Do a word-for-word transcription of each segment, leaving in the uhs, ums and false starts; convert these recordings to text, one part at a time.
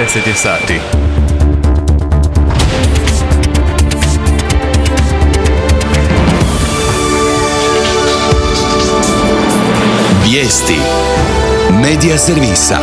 deset je sati. Vijesti Medija servisa.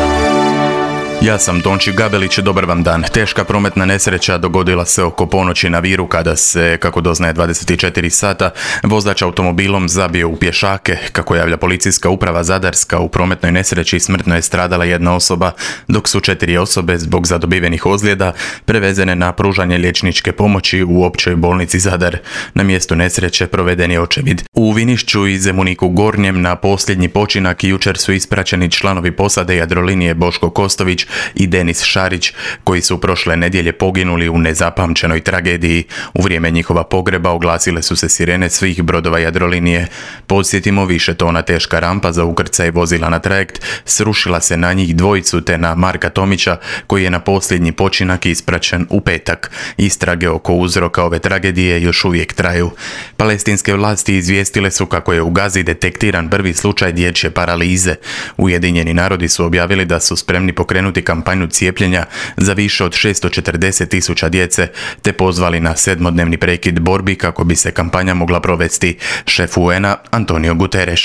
Ja sam Tonči Gabelić, dobar vam dan. Teška prometna nesreća dogodila se oko ponoći na Viru kada se, kako doznaje dvadeset četiri sata, vozač automobilom zabio u pješake. Kako javlja policijska uprava Zadarska, u prometnoj nesreći smrtno je stradala jedna osoba, dok su četiri osobe zbog zadobivenih ozljeda prevezene na pružanje liječničke pomoći u općoj bolnici Zadar. Na mjestu nesreće proveden je očevid. U Vinišću i Zemuniku Gornjem na posljednji počinak jučer su ispraćeni članovi posade Jadrolinije Boško Kostović i Denis Šarić, koji su prošle nedjelje poginuli u nezapamćenoj tragediji. U vrijeme njihova pogreba oglasile su se sirene svih brodova Jadrolinije. Podsjetimo, više tona teška rampa za ukrcaj vozila na trajekt srušila se na njih dvojicu te na Marka Tomića, koji je na posljednji počinak ispraćen u petak. Istrage oko uzroka ove tragedije još uvijek traju. Palestinske vlasti izvijestile su kako je u Gazi detektiran prvi slučaj dječje paralize. Ujedinjeni narodi su objavili da su spremni pokrenuti kampanju cijepljenja za više od šesto četrdeset tisuća djece, te pozvali na sedmodnevni prekid borbi kako bi se kampanja mogla provesti. Šef U N A Antonio Guterres.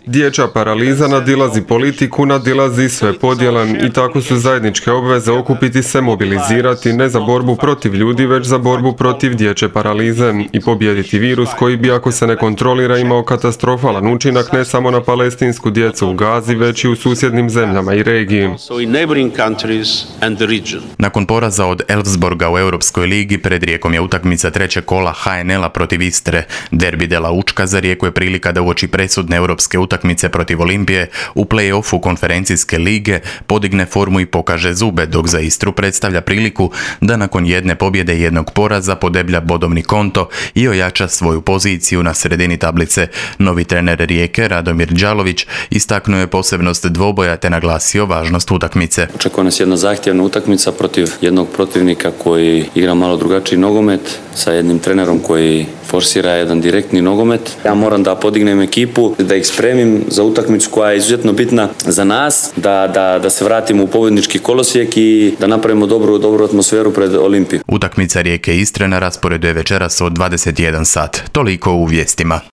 Dječja paraliza nadilazi politiku, nadilazi sve podjele i tako su zajedničke obveze okupiti se, mobilizirati ne za borbu protiv ljudi, već za borbu protiv dječje paralize i pobijediti virus koji bi, ako se ne kontrolira, imao katastrofalan učinak ne samo na palestinsku djecu u Gazi, već i u susjednim zemljama i regiji. Nakon poraza od Elfsborga u Europskoj ligi, pred Rijekom je utakmica trećeg kola H N L-a protiv Istre. Derbi de la Učka za Rijeku je prilika da uoči presudne europske utakmice protiv Olimpije u play-offu konferencijske lige podigne formu i pokaže zube, dok za Istru predstavlja priliku da nakon jedne pobjede i jednog poraza podeblja bodovni konto i ojača svoju poziciju na sredini tablice. Novi trener Rijeke, Radomir Đalović, istaknuo je posebnost dvoboja te naglasio važnost utakmice. Očekuje nas jedna zahtjevna utakmica protiv jednog protivnika koji igra malo drugačiji nogomet, sa jednim trenerom koji forsira jedan direktni nogomet. Ja moram da podignem ekipu, da ih spremim za utakmicu koja je izuzetno bitna za nas, da, da, da se vratimo u pobjednički kolosijek i da napravimo dobru, dobru atmosferu pred Olimpiju. Utakmica Rijeke Istre na rasporedu je večeras od dvadeset jedan sat. Toliko u vijestima.